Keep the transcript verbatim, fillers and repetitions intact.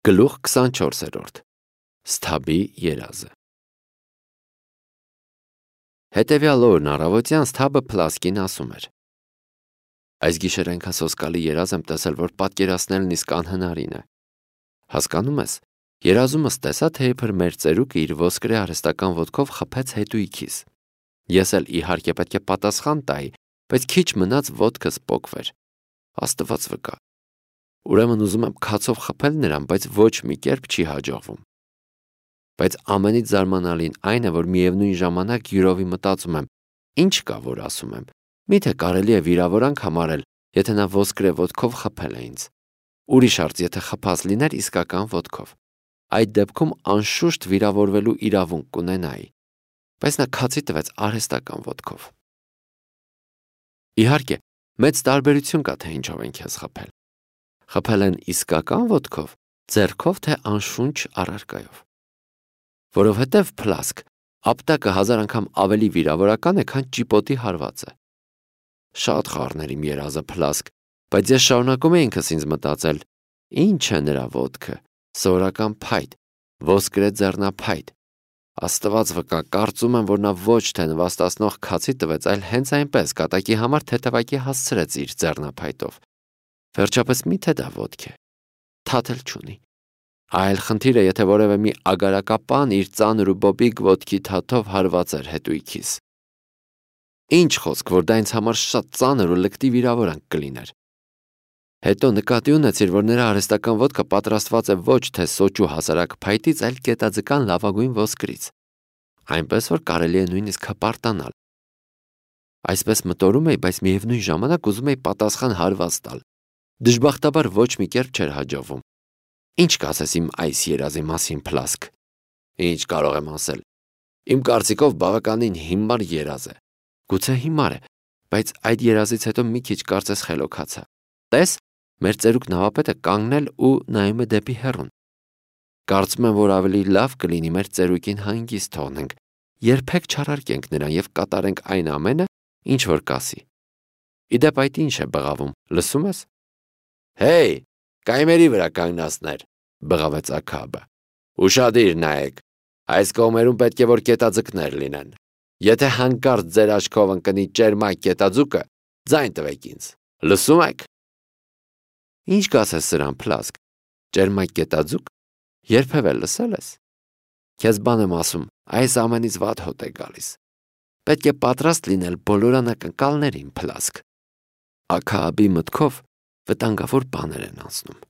Գլուխ քսանչորսերորդ Սթաբի երազը Հետևյալ օրն առավոտյան Սթաբը Փլասկին ասում էր. Այս գիշեր այնքան սոսկալի երազ եմ տեսել, որ պատկերացնելն իսկ անհնարին է։ Հասկանում ես, երազումս տեսա, թե իբր մեր ծերուկը իր ոսկրե արհեստական ոտքով խփեց հետույքիս։ Ես էլ իհարկե պետք է պատասխան տայի, բայց քիչ մնաց ոտքս պոկվեր։ Աստված վկա։ Ուրեմն ուզում եմ քացով խփել նրան, բայց ոչ մի կերպ չի հաջողվում։ Բայց ամենից զարմանալին այն է, որ միևնույն ժամանակ յուրովի մտածում եմ, ինչ կա, որ ասում եմ, միթե կարելի է վիրավորանք համարել, եթե նա ոսկրե ոտքով խփել է ինձ։ Ուրիշ արծ, եթե խփած լիներ իսկական ոտքով, այդ դեպքում անշուշտ վիրավորվելու իրավունք կունենայի, բայց նա քացի տվեց արհեստական ոտքով։ Իհարկե, մեծ տարբերություն կա, թե ինչով են քեզ խփել։ Խփել են իսկական ոտքով, ձեռքով, թե անշունչ առարկայով։ Որովհետև Փլասկ ապտակը հազար անգամ ավելի վիրավորական է, քան ճիպոտի հարվածը։ Շատ խառներ իմ երազը Փլասկ, բայց ես շարունակում էի ինքս ինձ մտածել, ինչ է նրա ոտքը, սովորական փայտ, ոսկրե ձեռնափայտ։ Աստված վկա, կարծում եմ, որ նա ոչ թե նվաստացնող քացի տվեց, այլ հենց այնպես կատակի համար թեթևակի հասցրեց իր ձեռնափայտով։ Վերջապես միթե դա ոտք է, թաթել չունի։ Այլ խնդիրը, եթե որևէ մի ագարակապան իր ծանր ու բոբիկ ոտքի թաթով հարվածեր հետույքիս։ Ինչ խոսք, որ դա ինձ համար շատ ծանր ու լկտի վիրավորանք կլիներ։ Հետո նկատի ունեցիր, որ նրա արհեստական ոտքը պատրաստված է ոչ թե սոճու հասարակ փայտից, այլ կետաձկան լավագույն ոսկրից, այնպես որ կարելի է նույնիսկ հպարտանալ։ Այսպես մտորում էի, բայց միևնույն ժամանակ ուզում էի պատասխան հարված տալ։ Դժբախտաբար ոչ մի կերպ չէր հաջողվում։ Ինչ կասես իմ այս երազի մասին, Փլասկ։ Ինչ կարող եմ ասել։ Իմ կարծիքով բավականին հիմար երազ է։ Գուցե հիմար է, բայց այդ երազից հետո մի քիչ կարծես խելոքացա։ Տես, մեր ծերուկ նավապետը կանգնել ու նայում է դեպի հեռուն։ Կարծում եմ, որ ավելի լավ կլինի մեր ծերուկին հանգիստ թողնենք, երբեք չարարկենք նրան եւ կատարենք այն ամենը, ինչ որ կասի։ Իդեպ այդ ինչ է բղավում, լսում ես։ Հեյ, կայմերի վրա կանգնածներ, բղավեց Աքաբը։ Ուշադիր նայեք, այս կողմերում պետք է որ կետաձկներ լինեն։ Եթե հանկարծ ձեր աչքով ընկնի ճերմակ կետաձուկը, ձայն տվեք ինձ։ Լսում եք։ Ինչ կասես սրան, Փլասկ։ Ճերմակ կետաձուկ։ Երբևէ լսել ես։ Քեզ բան եմ ասում, այս ամենից վատ հոտ է գալիս։ Պետք է պատրաստ լինել բոլոր անակնկալներին, Փլասկ։ Աքաբի մտքով վտանգավոր բաներ են անցնում։